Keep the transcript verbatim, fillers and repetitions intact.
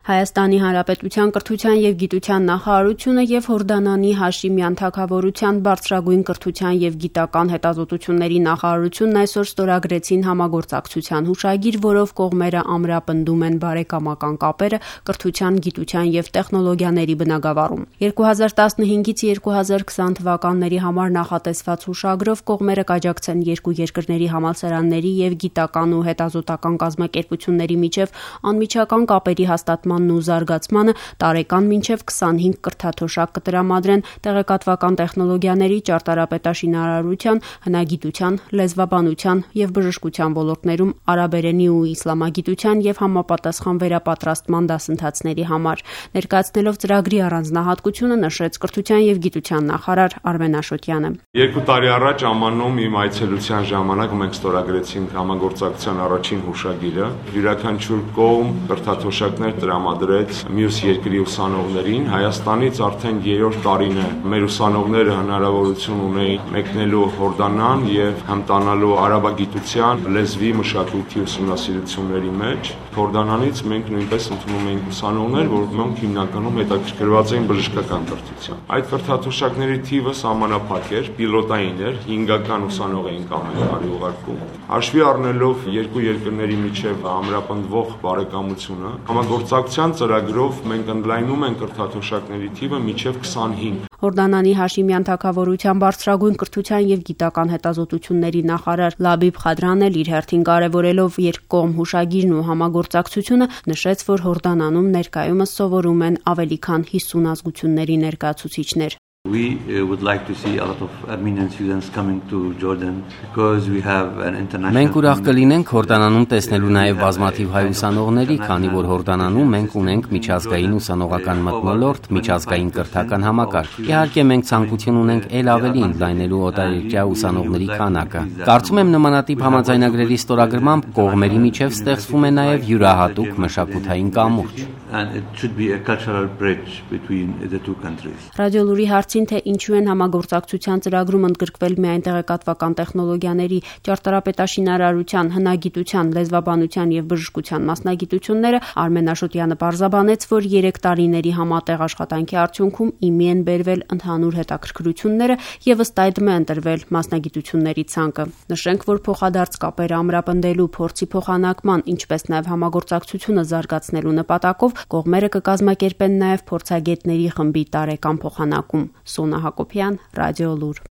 Հայաստանի Հանրապետության կրթության և գիտության նախարարությունը և Հորդանանի Հաշիմյան թագավորության բարձրագույն կրթության և գիտական հետազոտությունների նախարարությունն այսօր ստորագրեցին համագործակցության հուշագիր, որով կողմերը ամրապնդում են բարեկամական կապերը կրթության, գիտության և տեխնոլոգիաների բնագավառում։ երկու հազար տասնհինգից երկու հազար քսան թվականների համար նախատեսված հուշագրով կողմերը կաջակցեն երկու երկրների համալսարանների և գիտական ու հետազոտական կազմակերպությունների միջև անմիջական կապերի հաստատման ու զարգացմանը տարեկան մինչև քսանհինգ կրթաթոշակ կտրամադրեն տեղեկատվական տեխնոլոգիաների, ճարտարապետաշինարարության, հնագիտության, լեզվաբանության և բժշկության ոլորտներում արաբերենի ու իսլամագիտության և համապատասխան վերապատրաստման դասընթացների համար։ Ներկայացնելով ծրագրի առանձնահատկությունը նշեց կրթության և գիտության նախարար Արմեն Աշոտյանը։ Երկու տարի առաջ Ամանում իմ այցելության ժամանակ մենք ստորագրեցինք համագործակցության առաջին հուշագիրը։ Յուրաքանչյուր կողմ կրթաթոշակներ տրամադրեց մյուս երկրի ուսանողներին։ Հայաստանից արդեն երրորդ տարին է մեր ուսանողները հնարավորություն ունեին մեկնելու Հորդանան եւ հմտանալու արաբագիտության, լեզվի, մշակույթի ուսումնասիրությունների մեջ։ Հորդանանից մենք նույնպես ընդունում էինք ուսանողներ, որոնք հիմնականում հետաքրքրված էին բժշկական կրթությամբ։ Այդ կրթաթոշակների թիվը սահմանափակ էր, պիլոտային էր, հինգական ուսանող էինք ամեն տարի ուղարկում։ Հաշվի առնելով երկու երկրների միջև ամրապնդվող բարեկամությունը, համագործակցության ծրագրով մենք ընդլայնում ենք կրթաթոշակների թիվը մինչև քսանհինգ։ Հորդանանի Հաշիմյան թագավորության բարձրագույն կրթության և գիտական հետազոտությունների նախարար Լաբիբ Խադրան էլ իր հերթին կարևորելով երկկողմ հուշագիրն ու համագործակցությունը նշեց, որ Հորդանանում ներկայումս սովորում են ավելի քան հիսուն ազգությունների ներկայացուցիչներ։ We uh, would like to see a lot of Armenian students coming to Jordan because we have an international. Մենք ուրախ կլինենք Հորդանանում տեսնելու նաև բազմաթիվ հայ ուսանողների, քանի որ Հորդանանում մենք ունենք միջազգային ուսանողական մթնոլորտ, միջազգային կրթական համակարգ։ Իհարկե մենք ցանկություն ունենք ել ավելի ընդլայնելու օտարերկրյա ուսանողների քանակը։ Կարծում եմ նմանատիպ համաձայնագրերի ստորագրմամբ կողմերի միջև ստեղծվում է նաև յուրահատուկ մշակութային կամուրջ։ And it should be a cultural bridge between the two countries. Ռադիոլուրի հարցին, թե ինչու են համագործակցության ծրագրում ընդգրկվել միայն տեղեկատվական տեխնոլոգիաների, ճարտարապետաշինարարության, հնագիտության, լեզվաբանության և բժշկության մասնագիտությունները, Արմեն Աշոտյանը պարզաբանեց, որ երեք տարիների համատեղ աշխատանքի արդյունքում իմի են բերվել ընդհանուր հետաքրքրությունները և ըստ այդմ է ընտրվել մասնագիտությունների ցանկը։ Նշենք, որ փոխադարձ կապերը ամրապնդելու, փորձի փոխանակման, ինչպես նաև համագործակցությունը զարգացնելու նպատակով կողմերը կկազմակերպեն նաև փորձագետների խմբի տարեկան փոխանակում։ Սոնա Հակոբյան, Ռադիոլուր։